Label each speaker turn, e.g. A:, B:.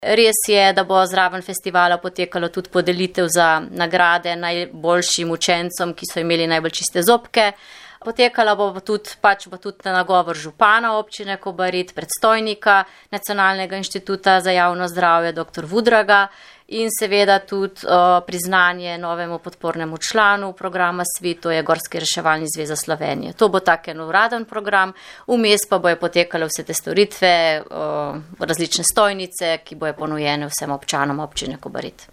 A: Res je, da bo zraven festivala potekalo tudi podelitev za nagrade najboljšim učencom, ki so imeli najbolj čiste zobke. Potekala bo tudi nagovor župana občine Kobarid, predstojnika Nacionalnega inštituta za javno zdravje dr. Vudraga in seveda tudi priznanje novemu podpornemu članu programa SVIT, to je Gorski reševalni zveza Slovenije. To bo tak en uraden program, vmes pa bojo potekale vse te storitve, različne stojnice, ki bojo ponujene vsem občanom občine Kobarid.